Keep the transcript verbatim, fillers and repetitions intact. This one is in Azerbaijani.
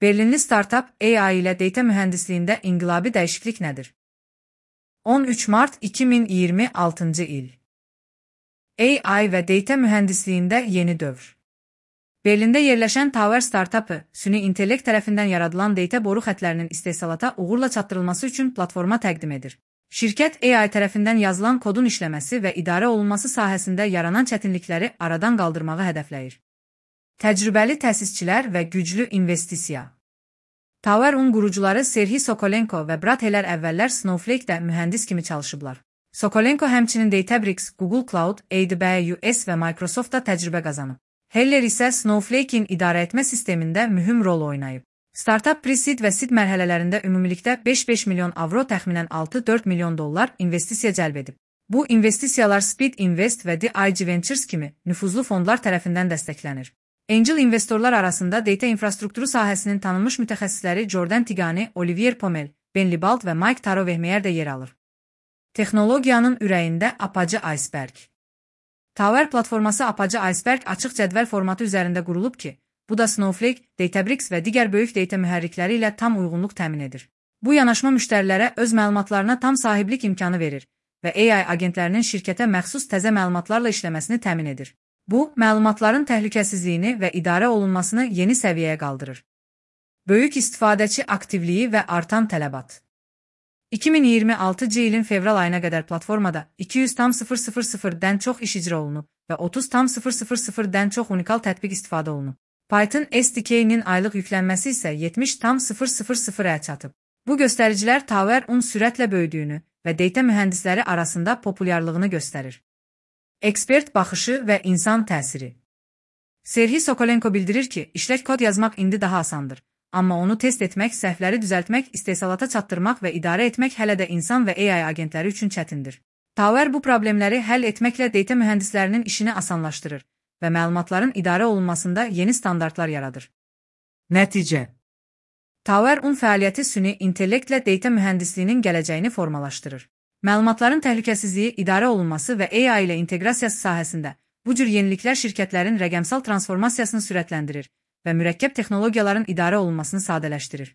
Berlinli startup A I ilə data mühəndisliyində inqilabi dəyişiklik nədir? on üç mart iki min iyirmi altıncı il. A I və data mühəndisliyində yeni dövr. Berlində yerləşən Tower startupı, süni intellekt tərəfindən yaradılan data boru xətlərinin istehsalata uğurla çatdırılması üçün platforma təqdim edir. Şirkət A I tərəfindən yazılan kodun işləməsi və idarə olunması sahəsində yaranan çətinlikləri aradan qaldırmağı hədəfləyir. Təcrübəli təsisçilər və güclü investisiya. Tower-un qurucuları Serhiy Sokolenko və Brat Heller əvvəllər Snowflake-də mühəndis kimi çalışıblar. Sokolenko həmçinin Databricks, Google Cloud, A W S və Microsoft-da təcrübə qazanıb. Heller isə Snowflake-in idarəetmə sistemində mühüm rol oynayıb. Startup pre-seed və seed mərhələlərində ümumilikdə beş beş milyon avro təxminən altı dörd milyon dollar investisiya cəlb edib. Bu investisiyalar Speed Invest və D I G Ventures kimi nüfuzlu fondlar tərəfindən dəstəklənir. Angel investorlar arasında data infrastrukturu sahəsinin tanınmış mütəxəssisləri Jordan Tigani, Olivier Pomel, Ben Libald və Mike Taro-Vehmeyer də yer alır. Texnologiyanın ürəyində apacı iceberg. Tower platforması apacı iceberg açıq cədvəl formatı üzərində qurulub ki, bu da Snowflake, Databricks və digər böyük data mühərrikləri ilə tam uyğunluq təmin edir. Bu yanaşma müştərilərə öz məlumatlarına tam sahiblik imkanı verir və A I agentlərinin şirkətə məxsus təzə məlumatlarla işləməsini təmin edir. Bu, məlumatların təhlükəsizliyini və idarə olunmasını yeni səviyyəyə qaldırır. Böyük istifadəçi aktivliyi və artan tələbat. iki min iyirmi altıncı ilin fevral ayına qədər platformada iki yüz min çox iş icra olunub və otuz min çox unikal tətbiq istifadə olunub. Python S D K-nin aylıq yüklənməsi isə yetmiş minə çatıb. Bu göstəricilər Tower-un sürətlə böyüdüyünü və data mühəndisləri arasında populyarlığını göstərir. Ekspert baxışı və insan təsiri. Serhiy Sokolenko bildirir ki, işlək kod yazmaq indi daha asandır. Amma onu test etmək, səhvləri düzəltmək, istehsalata çatdırmaq və idarə etmək hələ də insan və A I agentləri üçün çətindir. Tower bu problemləri həll etməklə data mühəndislərinin işini asanlaşdırır və məlumatların idarə olunmasında yeni standartlar yaradır. Nəticə. Tower-un fəaliyyəti süni intellektlə data mühəndisliyinin gələcəyini formalaşdırır. Məlumatların təhlükəsizliyi, idarə olunması və A I ilə inteqrasiyası sahəsində bu cür yeniliklər şirkətlərin rəqəmsal transformasiyasını sürətləndirir və mürəkkəb texnologiyaların idarə olunmasını sadələşdirir.